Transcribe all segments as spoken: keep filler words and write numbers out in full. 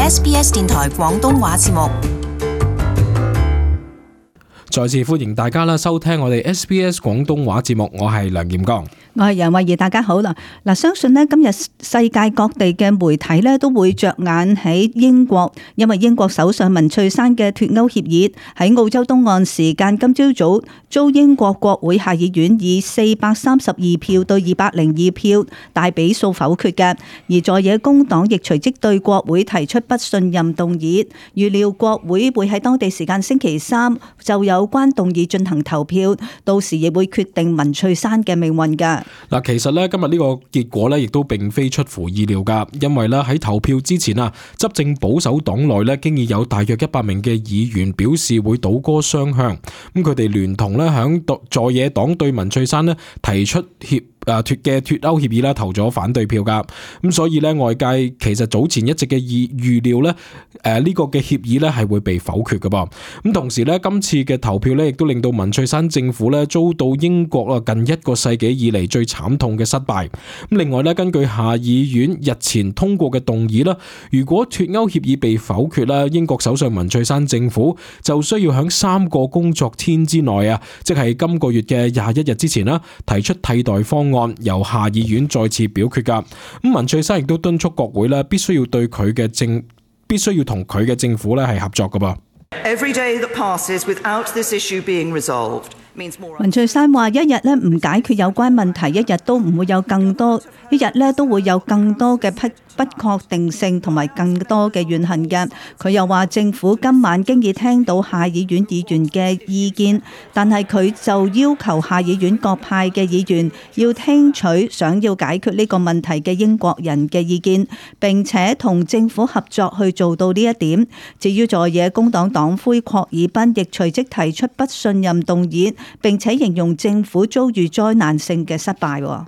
S B S 電台廣東話節目。再次歡迎大家啦，收聽我哋 S B S 廣東話節目，我係梁劍剛，我係楊慧儀，大家好啦。嗱，相信呢今日世界各地嘅媒體呢都會着眼喺英國，因為英國首相文翠珊嘅脫歐協議喺澳洲東岸時間今朝早遭英國國會下議院以四百三十二票對二百零二票大比數否決嘅，而在野工黨亦隨即對國會提出不信任動議，預料國會會喺當地時間星期三就有關動議進行投票，到時亦會決定文翠珊嘅命運㗎。嗱，其實咧今日呢個結果咧，亦都並非出乎意料噶，因為咧喺投票之前啊，執政保守黨內咧，經已有大約一百名嘅議員表示會倒戈雙向，咁佢哋聯同咧響在野黨對文翠珊咧提出協誒脫嘅脫歐協議啦，投咗反對票噶，咁所以咧外界其實早前一直嘅預預料咧，誒呢個嘅協議咧係會被否決噶噃，咁同時咧今次嘅投票咧亦都令到文翠珊政府咧遭到英國啊近一個世紀以嚟最慘痛嘅失敗。咁另外咧，根據下議院日前通過嘅動議啦，如果脫歐協議被否決啦，英國首相文翠珊政府就需要喺三個工作天之內啊，即係今個月嘅廿一日之前啦，提出替代方案，由下議院再次表決噶。咁文翠珊亦都敦促國會咧，必須要對佢嘅政，必須要同佢嘅政府咧係合作噶噃。Every day that passes without this issue being resolved means more. 文翠珊話：一日咧唔解決有關問題，一日都唔會有更多，一日咧都會有更多嘅不不確定性同埋更多嘅怨恨嘅。佢又話政府今晚經已聽到下議院議員嘅意見，但係佢就要求下議院各派嘅議員要聽取想要解決呢個問題嘅英國人嘅意見，並且同政府合作去做到呢一點。至於在野工黨黨魁郝爾賓亦隨即提出不信任動議，並且形容政府遭遇災難性嘅失敗。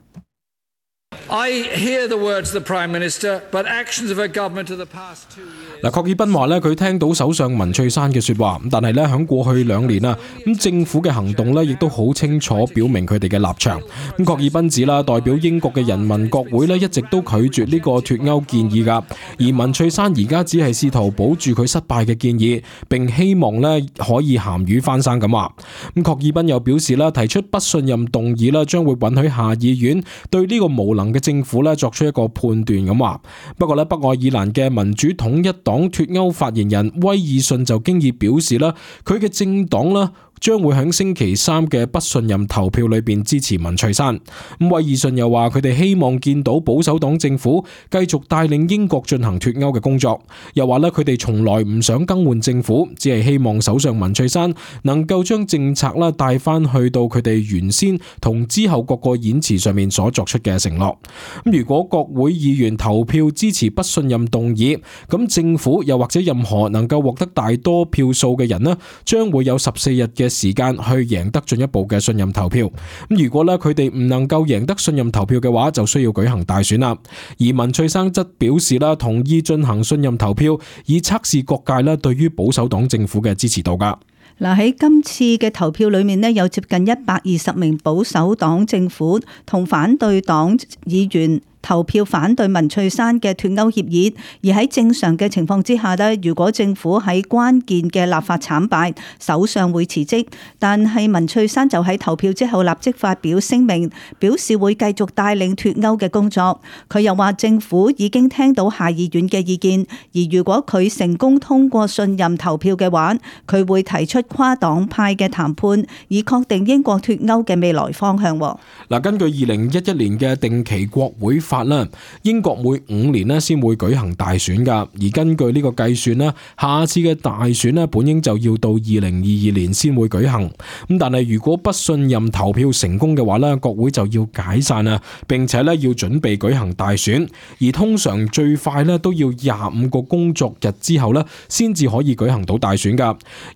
I hear the words of the Prime Minister, but actions of her government of the past two years. 嗱，郝爾賓話咧，佢聽到首相文翠珊嘅說話，但係咧喺過去兩年啊，咁政府嘅行動咧，亦都好清楚表明佢哋嘅立場。咁郝爾賓指啦，代表英國嘅人民國會咧，一直都拒絕呢個脫歐建議噶，而文翠珊而家只係試圖保住佢失敗嘅建議，並希望咧可以鹹魚翻生咁話。咁郝爾賓又表示啦，提出不信任動議啦，將會允許下議院對呢個無能嘅政府咧作出一個判斷咁話。不過咧，北愛爾蘭嘅民主統一黨脫歐發言人威爾遜就經已表示啦，佢嘅政黨啦將會喺星期三嘅不信任投票裏邊支持文翠珊。咁威爾遜又話佢哋希望見到保守黨政府繼續帶領英國進行脫歐嘅工作，又話咧佢哋從來唔想更換政府，只係希望首相文翠珊能夠將政策啦帶翻去到佢哋原先同之後各個演辭上面所作出嘅承諾。咁如果國會議員投票支持不信任動議，咁政府又或者任何能夠獲得大多票數嘅人呢，將會有十四日嘅時間去贏得進一步嘅信任投票。咁如果咧佢哋唔能夠贏得信任投票嘅話，就需要舉行大選啦。而文翠珊則表示啦，同意進行信任投票，以測試各界咧對於保守黨政府嘅支持度噶。嗱，喺今次嘅投票裏面呢，有接近一百二十名保守黨政府同反對黨議員投票反對文翠珊嘅脫歐協議，而喺正常嘅情況之下呢，如果政府喺關鍵嘅立法慘敗，首相會辭職。但係文翠珊就喺投票之後立即發表聲明，表示會繼續帶領脫歐嘅工作。佢又話政府已經聽到下議院嘅意見，而如果佢成功通過信任投票嘅話，佢會提出跨黨派嘅談判，以確定英國脫歐嘅未來方向。嗱，根據二零一一年嘅定期國會法啦，英國每五年咧先會舉行大選噶，而根據呢個計算咧，下次嘅大選咧本應就要到二零二二年先會舉行。咁但係如果不信任投票成功嘅話咧，國會就要解散啊，並且咧要準備舉行大選，而通常最快咧都要廿五個工作日之後咧先至可以舉行到大選噶。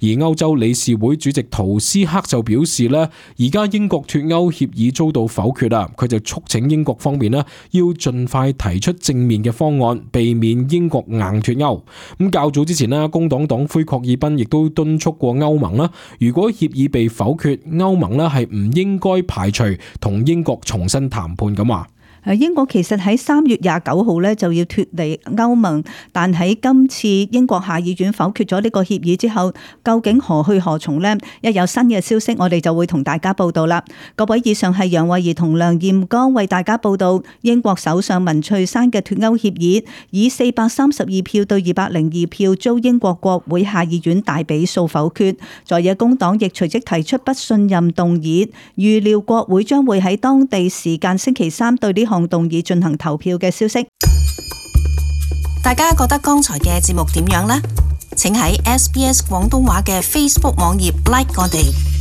而歐洲理事會主席圖斯克就表示咧，而家英國脫歐協議遭到否決啦，佢就促請英國方面咧要盡快提出正面嘅方案，避免英國硬脫歐。咁較早之前咧，工黨黨魁郝爾賓亦都敦促過歐盟啦，如果協議被否決，歐盟咧係唔應該排除同英國重新談判咁話。誒，英國其實喺三月廿九號咧就要脫離歐盟，但喺今次英國下議院否決咗呢個協議之後，究竟何去何從呢？一有新嘅消息，我哋就會同大家報道啦。各位，以上係楊慧儀同梁艷剛為大家報道英國首相文翠珊嘅脫歐協議，以四百三十二票對二百零二票遭英國國會下議院大比數否決，在野工黨亦隨即提出不信任動議，預料國會將會喺當地時間星期三對呢項動議進行投票嘅消息。大家覺得剛才嘅節目點樣呢？請喺 S B S 廣東話嘅 Facebook 網頁 like 我哋。